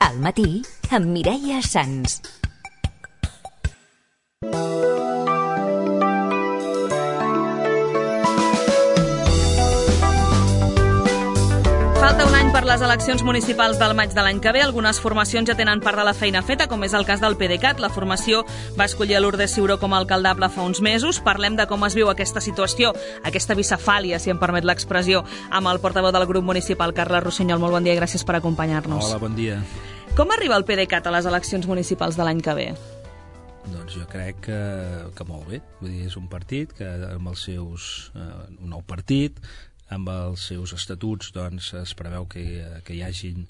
Al matí, amb Mireia Sans. Falta un any per les eleccions municipals del maig de l'any que ve. Algunes formacions ja tenen part de la feina feta, com és el cas del PDeCAT. La formació va escollir a Lourdes Ciuró com a alcaldable fa uns mesos. Parlem de com es viu aquesta situació, aquesta bicefàlia, si em permet l'expressió, amb el portaveu del grup municipal, Carles Rossinyol. Molt bon dia i gràcies per acompanyar-nos. Hola, bon dia. Com arriba el PDeCAT a les eleccions municipals de l'any que ve? Doncs jo crec que molt bé. Vull dir, és un partit que amb els seus... un nou partit, amb els seus estatuts doncs, es preveu que hi hagin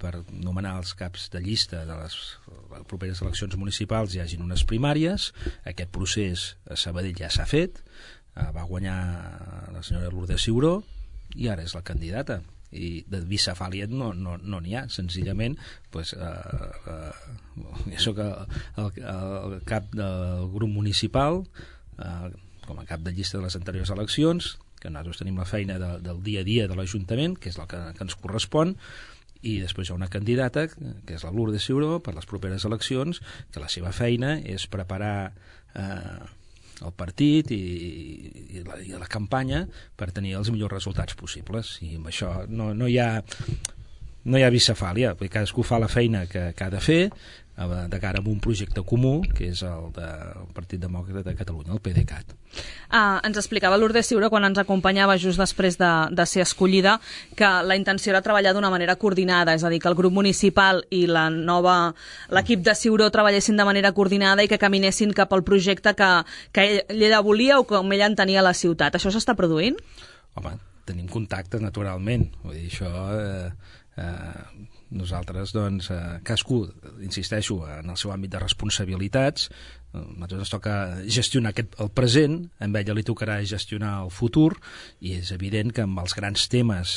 per nomenar els caps de llista de les properes eleccions municipals, hi hagin unes primàries. Aquest procés a Sabadell ja s'ha fet, va guanyar la senyora Lourdes Ciuró i ara és la candidata, i de bicefàlia no n'hi ha, senzillament pues, jo soc el cap del grup municipal com a cap de llista de les anteriors eleccions, que nosaltres tenim la feina del dia a dia de l'Ajuntament, que és el que ens correspon, i després hi ha una candidata, que és la Lourdes Ciuró, per les properes eleccions, que la seva feina és preparar el partit i la campanya per tenir els millors resultats possibles. I amb això no hi ha bicefàlia, perquè cadascú fa la feina que ha de fer de cara a un projecte comú, que és el del Partit Demòcrata de Catalunya, el PDeCAT. Ens explicava Lourdes Ciuró, quan ens acompanyava just després de ser escollida, que la intenció era treballar d'una manera coordinada, és a dir, que el grup municipal i l'equip de Ciuró treballessin de manera coordinada i que caminessin cap al projecte que ella volia o com ella entenia la ciutat. Això s'està produint? Home, tenim contacte, naturalment. Vull dir, això... nosaltres, doncs, cadascú, insisteixo, en el seu àmbit de responsabilitats. A nosaltres ens toca gestionar el present, a ella li tocarà gestionar el futur, i és evident que amb els grans temes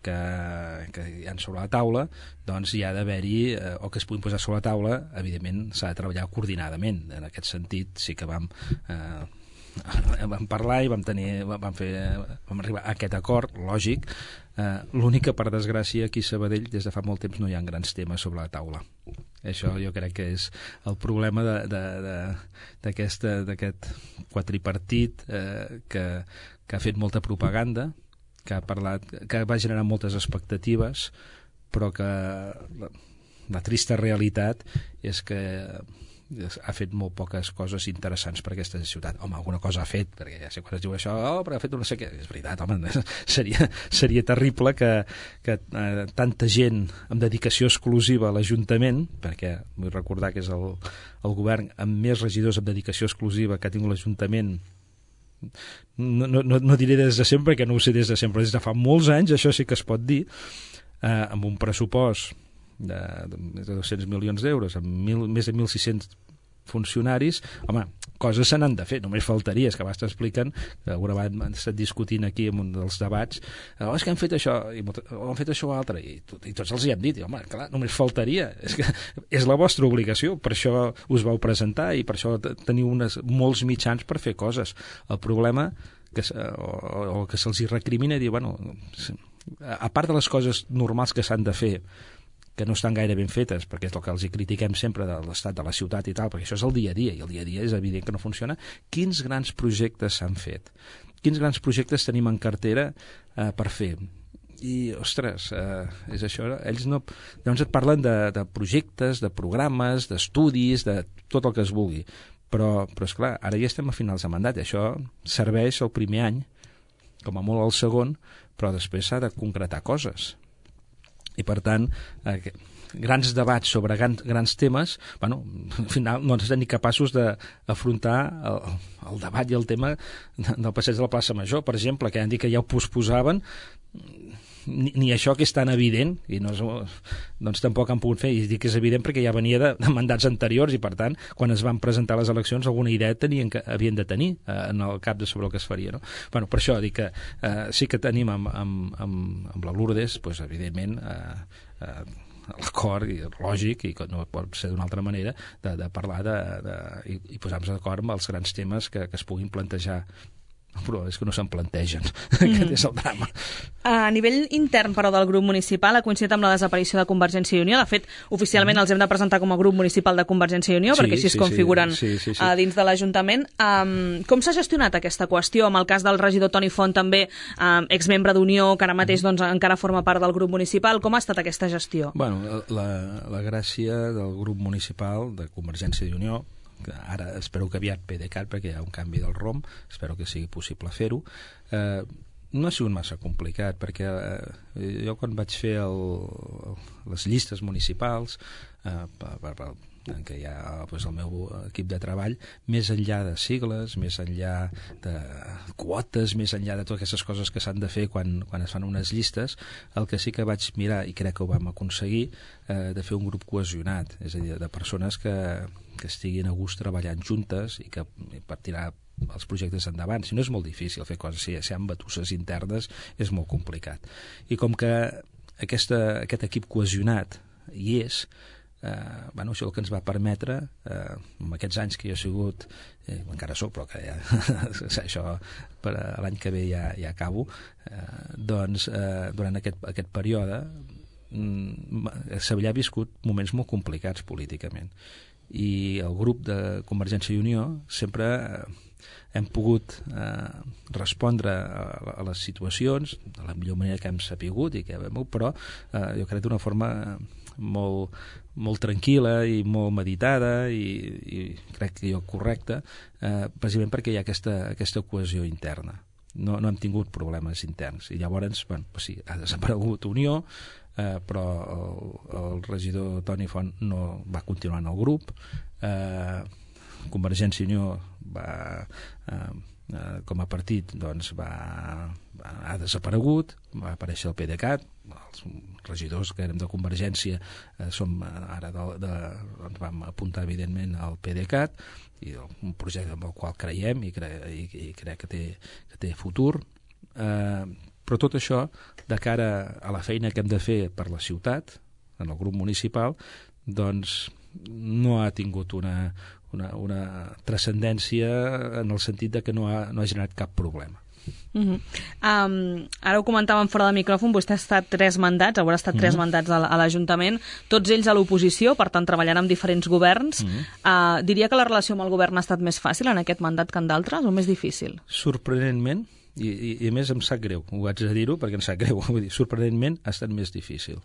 que hi ha sobre la taula, doncs hi ha d'haver-hi, o que es puguin posar sobre la taula, evidentment s'ha de treballar coordinadament. En aquest sentit sí que vam parlar i vam arribar a aquest acord, lògic. L'únic que, per desgràcia, aquí a Sabadell des de fa molt temps no hi ha grans temes sobre la taula. Això jo crec que és el problema d'aquest quadripartit que ha fet molta propaganda, que va generar moltes expectatives, però que la trista realitat és que ha fet molt poques coses interessants per aquesta ciutat. Home, alguna cosa ha fet, perquè ja sé quan es diu això, però ha fet no sé què. És veritat, home, seria terrible que tanta gent amb dedicació exclusiva a l'Ajuntament, perquè vull recordar que és el govern amb més regidors amb dedicació exclusiva que ha tingut l'Ajuntament, no diré des de sempre, perquè no ho sé des de sempre, des de fa molts anys, això sí que es pot dir, amb un pressupost de 200 milions d'euros, amb més de 1.600 funcionaris. Home, coses se n'han de fer, només faltaria. És que abans t'expliquen, que alguna vegada han estat discutint aquí en un dels debats, és que han fet això, o han fet això o altre, i tots els hi hem dit, i, home, clar, només faltaria. És que és la vostra obligació, per això us vau presentar i per això teniu molts mitjans per fer coses. El problema que se'ls hi recrimina dir, bueno, a part de les coses normals que s'han de fer, que no estan gaire ben fetes, perquè és el que els hi critiquem sempre de l'estat de la ciutat i tal, perquè això és el dia a dia, i el dia a dia és evident que no funciona. Quins grans projectes s'han fet? Quins grans projectes tenim en cartera per fer? I, ostres, és això, ells no... Llavors et parlen de projectes, de programes, d'estudis, de tot el que es vulgui, però esclar, ara ja estem a finals de mandat, i això serveix el primer any, com a molt el segon, però després s'ha de concretar coses. I per tant, grans debats sobre grans temes, bueno, al final no ens estem ni capaços d'afrontar el debat i el tema del passeig de la plaça Major, per exemple, que han dit que ja ho posposaven, ni això que és tan evident, i doncs tampoc han pogut fer, i dic que és evident perquè ja venia de mandats anteriors, i per tant, quan es van presentar les eleccions, alguna idea havien de tenir en el cap de sobre el que es faria, no? Bueno, per això dic que sí que tenim amb la Lourdes, doncs, evidentment, l'acord lògic, i que no pot ser d'una altra manera, de parlar i posar-nos d'acord amb els grans temes que es puguin plantejar però és que no se'n plantegen. Aquest és el drama. A nivell intern, però, del grup municipal, ha coincidit amb la desaparició de Convergència i Unió. De fet, oficialment els hem de presentar com a grup municipal de Convergència i Unió, perquè així es configuren dins de l'Ajuntament. Com s'ha gestionat aquesta qüestió? Amb el cas del regidor Toni Font, també exmembre d'Unió, que ara mateix encara forma part del grup municipal. Com ha estat aquesta gestió? Bueno, la gràcia del grup municipal de Convergència i Unió, que ara espero que aviat PDeCAT, perquè hi ha un canvi del ROM, espero que sigui possible fer-ho, no ha sigut massa complicat, perquè jo quan vaig fer les llistes municipals, en què hi ha el meu equip de treball, més enllà de sigles, més enllà de quotes, més enllà de totes aquestes coses que s'han de fer quan es fan unes llistes, el que sí que vaig mirar, i crec que ho vam aconseguir, de fer un grup cohesionat, és a dir, de persones que estiguin a gust treballant juntes i que per tirar els projectes endavant. Si no, és molt difícil fer coses, si hi ha batusses internes és molt complicat. I com que aquest equip cohesionat hi és, això és el que ens va permetre, en aquests anys que jo he sigut, encara soc, però que ja, això per l'any que ve ja acabo, doncs durant aquest període Sevillà ha viscut moments molt complicats políticament, i el grup de Convergència i Unió sempre hem pogut respondre a les situacions de la millor manera que hem sapigut, però jo crec d'una forma molt tranquil·la i molt meditada i crec que correcta, precisament perquè hi ha aquesta cohesió interna. No hem tingut problemes interns, i llavors sí, ha desaparegut Unió, però el regidor Toni Font no va continuar en el grup, Convergència i Unió com a partit ha desaparegut, va aparèixer el PDeCAT, els regidors que érem de Convergència ara vam apuntar evidentment al PDeCAT, i un projecte amb el qual creiem i crec que té futur, però tot això de cara a la feina que hem de fer per la ciutat, en el grup municipal, doncs no ha tingut una transcendència en el sentit de que no ha generat cap problema. Ara ho comentàvem fora de micròfon, vostè ha estat 3 mandats, haurà estat 3 mandats a l'Ajuntament, tots ells a l'oposició, per tant treballant amb diferents governs. Diria que la relació amb el govern ha estat més fàcil en aquest mandat que en d'altres, o més difícil? Sorprenentment, i a més em sap greu, ho haig de dir-ho perquè em sap greu, vull dir, sorprenentment ha estat més difícil.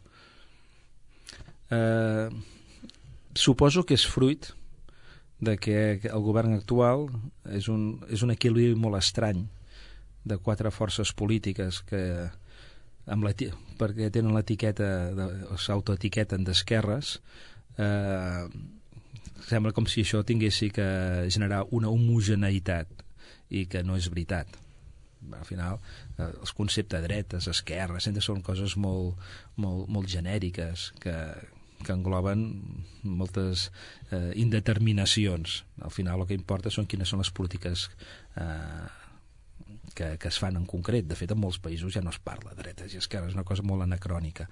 Suposo que és fruit de que el govern actual és un equilibri molt estrany de 4 forces polítiques que perquè tenen l'etiqueta, s'autoetiqueten d'esquerres, sembla com si això tinguessi que generar una homogeneïtat, i que no és veritat. Al final, els conceptes dretes, esquerres, sempre són coses molt genèriques que engloben moltes indeterminacions. Al final el que importa són quines són les polítiques que es fan en concret. De fet, en molts països ja no es parla de dretes i esquerres, és una cosa molt anacrònica.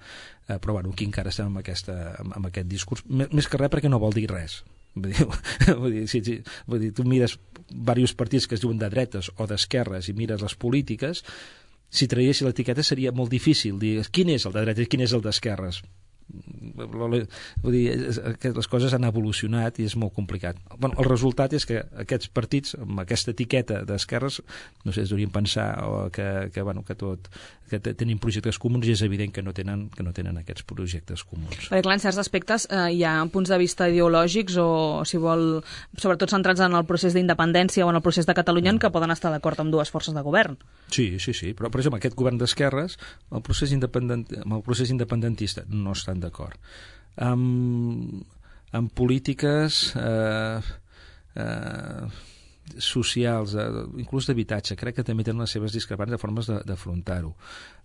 Però aquí encara estem amb aquest discurs, més que res perquè no vol dir res. Vull dir, tu mires diversos partits que es diuen de dretes o d'esquerres i mires les polítiques, si traiessi l'etiqueta seria molt difícil dir quin és el de dretes i quin és el d'esquerres. Vull dir, les coses han evolucionat i és molt complicat. El resultat és que aquests partits amb aquesta etiqueta d'esquerres, no sé, es deurien pensar que tenen projectes comuns, i és evident que no tenen aquests projectes comuns. Perquè clar, en certs aspectes hi ha punts de vista ideològics o, si vol, sobretot centrats en el procés d'independència o en el procés de Catalunya, que poden estar d'acord amb 2 forces de govern. Sí, però per exemple aquest govern d'esquerres amb el procés independentista no estan d'acord. Amb polítiques socials, inclús d'habitatge, crec que també tenen les seves discrepàncies de formes d'afrontar-ho.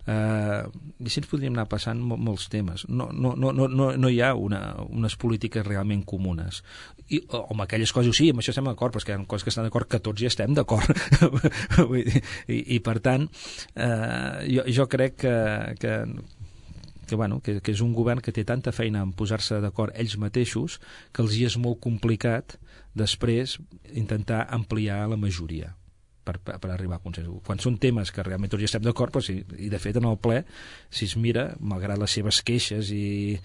I així ens podríem anar passant molts temes. No hi ha unes polítiques realment comunes. O amb aquelles coses, sí, amb això estem d'acord, però és que hi ha coses que estan d'acord que tots hi estem d'acord. I per tant, jo crec que és un govern que té tanta feina en posar-se d'acord ells mateixos que els hi és molt complicat després intentar ampliar la majoria. per arribar a consensos. Quan són temes que realment tots hi estem d'acord, doncs, i de fet en el ple, si es mira, malgrat les seves queixes i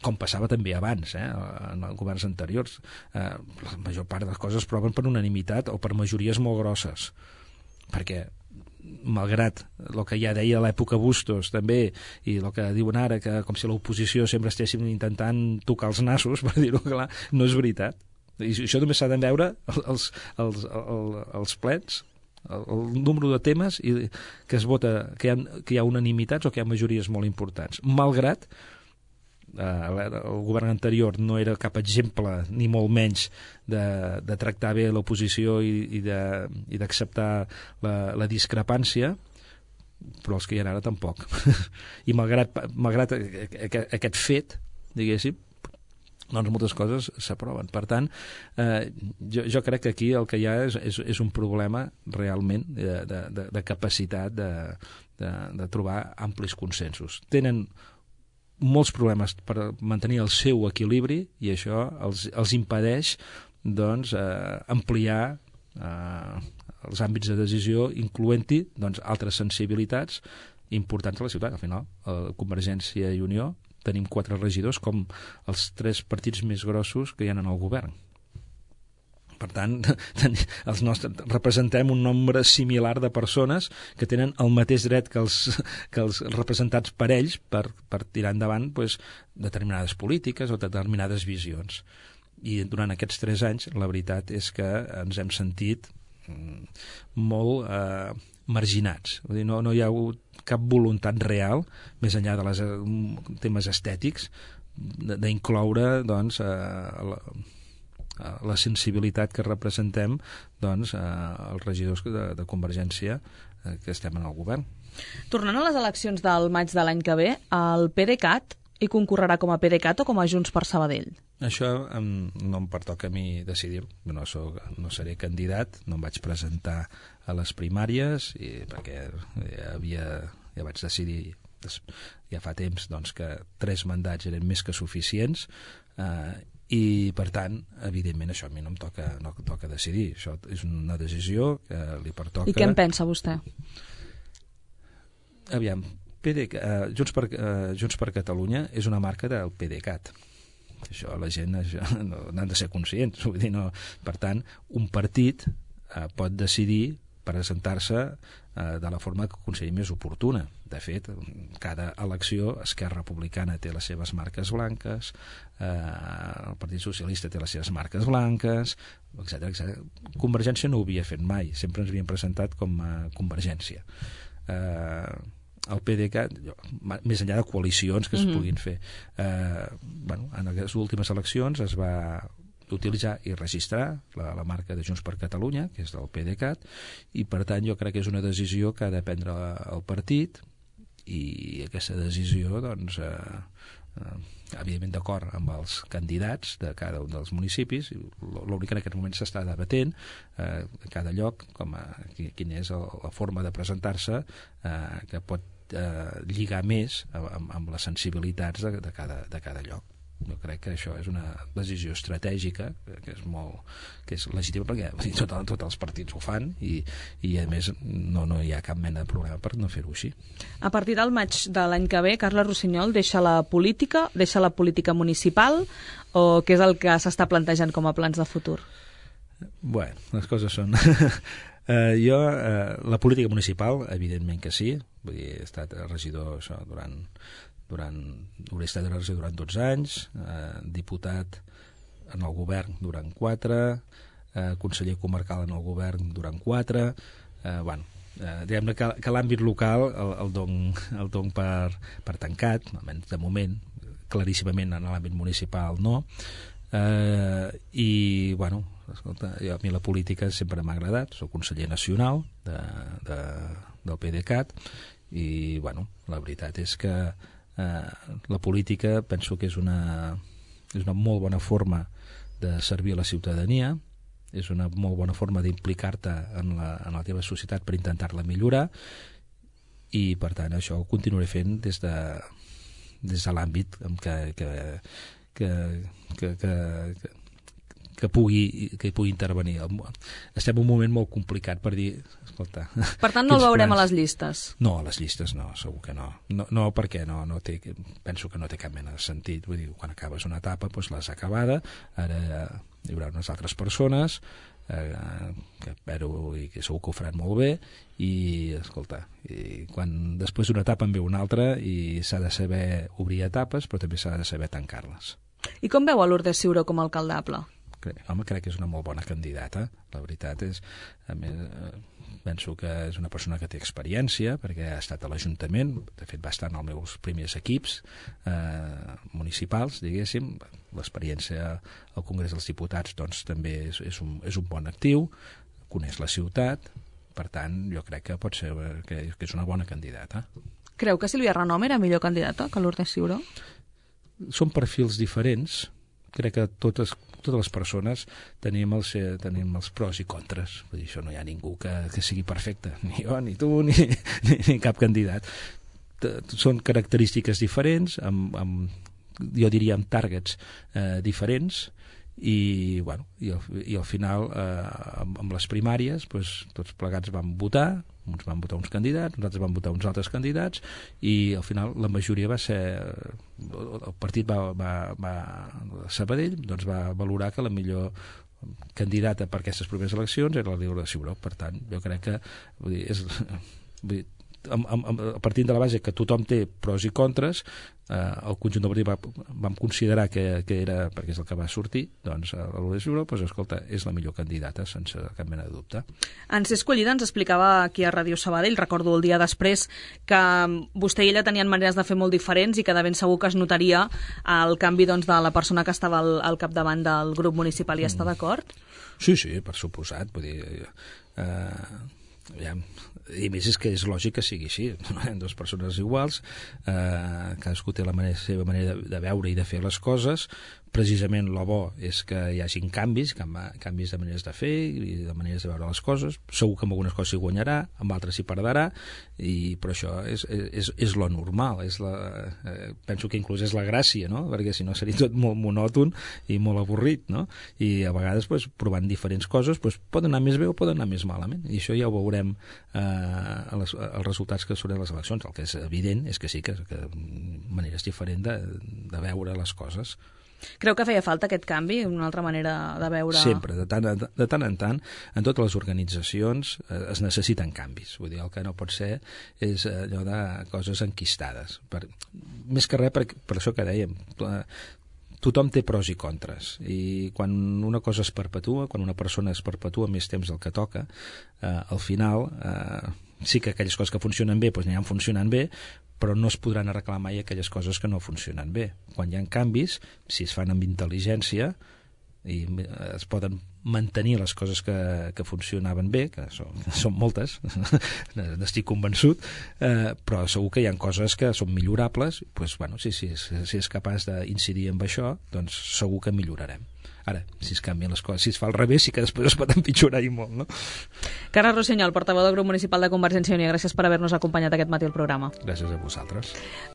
com passava també abans, en els governs anteriors, la major part de les coses es proven per unanimitat o per majories molt grosses, perquè malgrat el que ja deia a l'època Bustos també, i el que diuen ara, que com si l'oposició sempre estéssim intentant tocar els nassos, per dir-ho clar, no és veritat. I això només s'ha de veure els plens, el número de temes que es vota, que hi ha unanimitats o que hi ha majories molt importants. Malgrat el govern anterior no era cap exemple, ni molt menys, de tractar bé l'oposició i d'acceptar la discrepància, però els que hi ha ara tampoc. I malgrat aquest fet, diguéssim, doncs moltes coses s'aproven. Per tant, jo crec que aquí el que hi ha és un problema realment de capacitat de trobar amplis consensos. Tenen molts problemes per mantenir el seu equilibri i això els impedeix doncs, ampliar els àmbits de decisió, incloent-hi doncs, altres sensibilitats importants a la ciutat. Al final, Convergència i Unió tenim 4 regidors com els 3 partits més grossos que hi ha en el govern. Per tant, representem un nombre similar de persones que tenen el mateix dret que els representats per ells per tirar endavant doncs, determinades polítiques o determinades visions. I durant aquests 3 anys la veritat és que ens hem sentit molt marginats. Vull dir, no hi ha hagut cap voluntat real, més enllà de les temes estètics, d'incloure doncs, la sensibilitat que representem doncs, els regidors de Convergència que estem en el govern. Tornant a les eleccions del maig de l'any que ve, el PDeCAT hi concorrerà com a PDeCAT o com a Junts per Sabadell? Això no em pertoca a mi decidir-ho. No seré candidat, no em vaig presentar a les primàries perquè ja vaig decidir ja fa temps doncs, que 3 mandats eren més que suficients i per tant, evidentment, això a mi no em toca decidir. Això és una decisió que li pertoca... I què en pensa vostè? Aviam, Junts per Catalunya és una marca del PDeCAT. Això la gent n'han de ser conscients. Vull dir, no. Per tant, un partit pot decidir presentar-se de la forma que consideri més oportuna. De fet, cada elecció Esquerra Republicana té les seves marques blanques, el Partit Socialista té les seves marques blanques, etc. Convergència no ho havia fet mai, sempre ens havien presentat com a Convergència. El PDeCAT, més enllà de coalicions que es puguin fer, en les últimes eleccions es va utilitzar i registrar la marca de Junts per Catalunya, que és del PDeCAT, i per tant jo crec que és una decisió que ha de prendre el partit, i aquesta decisió doncs evidentment d'acord amb els candidats de cada un dels municipis. L'únic que en aquest moment s'està debatent a cada lloc quina és la forma de presentar-se que pot lligar més amb les sensibilitats de cada lloc. Jo crec que això és una decisió estratègica que és legítima perquè tots els partits ho fan i a més no hi ha cap mena de problema per no fer-ho així. A partir del maig de l'any que ve, Carles Rossinyol deixa la política municipal o què és el que s'està plantejant com a plans de futur? Bueno, les coses són... la política municipal, evidentment que sí. Vull dir, he estat regidor hauré estat regidor durant 12 anys, diputat en el govern durant 4, conseller comarcal en el govern durant 4. Diguem-ne que l'àmbit local el dono per tancat, almenys de moment, claríssimament en l'àmbit municipal no. I, escolta, a mi la política sempre m'ha agradat, soc conseller nacional del PDeCAT i, la veritat és que la política penso que és una molt bona forma de servir a la ciutadania, és una molt bona forma d'implicar-te en la teva societat per intentar-la millorar i per tant això ho continuaré fent des de l'àmbit que pugui intervenir. Estem en un moment molt complicat per dir, escolta... Per tant, no el veurem a les llistes? No, a les llistes no, segur que no. No, perquè penso que no té cap mena de sentit. Vull dir, quan acabes una etapa, doncs l'has acabada, ara hi haurà unes altres persones que espero i que segur que ho faran molt bé, i escolta, quan després d'una etapa en ve una altra, i s'ha de saber obrir etapes, però també s'ha de saber tancar-les. I com veu a Lourdes Ciuró com a alcaldable? Home, crec que és una molt bona candidata. La veritat és, a més, penso que és una persona que té experiència, perquè ha estat a l'Ajuntament, de fet va estar en els meus primers equips municipals, diguéssim. L'experiència al Congrés dels Diputats doncs, també és un bon actiu, coneix la ciutat, per tant, jo crec que pot ser que és una bona candidata. Creu que Sílvia Renom era millor candidata que Lourdes Ciuró? Són perfils diferents. Crec que totes les persones tenim els pros i contres. Vull dir, això no hi ha ningú que sigui perfecte, ni jo, ni tu, ni cap candidat. Són característiques diferents, jo diria amb targets diferents, i al final amb les primàries tots plegats vam votar, uns van votar uns candidats, uns altres van votar uns altres candidats, i al final la majoria va ser, el partit Sabadell doncs va valorar que la millor candidata per aquestes properes eleccions era la Lourdes Ciuró. Per tant, jo crec que partint de la base que tothom té pros i contres, el conjunt del partit vam considerar que era, perquè és el que va sortir, doncs la Lourdes Ciuró, doncs escolta, és la millor candidata, sense cap mena de dubte. En ser escollida ens explicava aquí a Ràdio Sabadell, recordo el dia després, que vostè i ella tenien maneres de fer molt diferents i que de ben segur que es notaria el canvi de la persona que estava al capdavant del grup municipal. I està d'acord? Sí, per suposat. Vull dir, i a més és que és lògic que sigui així, dues persones iguals, cadascú té la seva manera de veure i de fer les coses. Precisament el bo és que hi hagin canvis de maneres de fer i de maneres de veure les coses. Segur que amb algunes coses s'hi guanyarà, amb altres s'hi perdrà, però això és lo normal. Penso que inclús és la gràcia, no? Perquè si no seria tot molt monòton i molt avorrit, no? I a vegades provant diferents coses poden anar més bé o poden anar més malament, i això ja ho veurem els resultats que surten de les eleccions. El que és evident és que sí, que maneres diferents de veure les coses. Creu que feia falta aquest canvi, una altra manera de veure... Sempre, de tant en tant, en totes les organitzacions es necessiten canvis. Vull dir, el que no pot ser és allò de coses enquistades. Més que res, per això que dèiem, tothom té pros i contres, i quan una cosa es perpetua, quan una persona es perpetua més temps del que toca, al final sí que aquelles coses que funcionen bé aniran funcionant bé, però no es podran arreglar mai aquelles coses que no funcionen bé. Quan hi ha canvis, si es fan amb intel·ligència i es poden mantenir les coses que funcionaven bé, que són moltes, n'estic convençut, però segur que hi ha coses que són millorables. Si és capaç d'incidir en això, doncs segur que millorarem. Ara, si es canvien les coses, si es fa al revés, sí que després es pot empitjorar i molt, no? Carles Rossinyol, portaveu del grup municipal de Convergència i Unió, gràcies per haver-nos acompanyat aquest matí al programa. Gràcies a vosaltres.